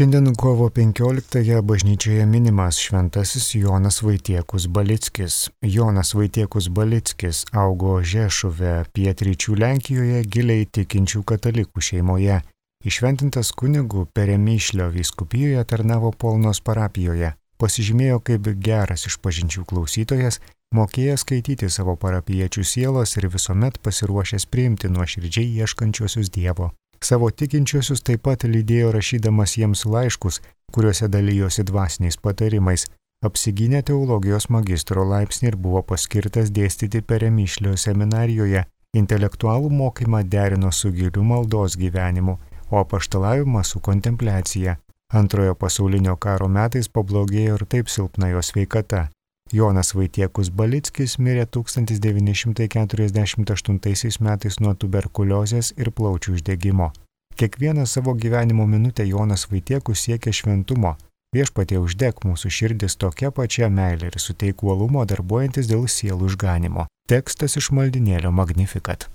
Šiandien kovo 15-ąją bažnyčioje minimas šventasis Jonas Vaitiekus Balickis. Jonas Vaitiekus Balickis augo Žešuve, pietryčių Lenkijoje, giliai tikinčių katalikų šeimoje. Įšventintas kunigu Peremyšlio vyskupijoje tarnavo Polnos parapijoje. Pasižymėjo kaip geras išpažinčių klausytojas, mokėjęs skaityti savo parapiečių sielos ir visuomet pasiruošęs priimti nuoširdžiai ieškančiuosius Dievo. Savo tikinčiuosius taip pat lydėjo rašydamas jiems laiškus, kuriuose dalijosi dvasiniais patarimais. Apsigynė teologijos magistro laipsnį ir buvo paskirtas dėstyti Peremyšlio seminarijoje. Intelektualų mokymą derino su giliu maldos gyvenimu, o apaštalavimą su kontempliacija. Antrojo pasaulinio karo metais pablogėjo ir taip silpna jo sveikata. Jonas Vaitiekus Balickis mirė 1948 metais nuo tuberkuliozės ir plaučių uždegimo. Kiekvieną savo gyvenimo minutę Jonas Vaitiekus siekė šventumo. Viešpatie uždek mūsų širdis tokia pačia meilė ir suteik uolumo darbuojantis dėl sielų išganimo. Tekstas iš maldynėlio Magnificat.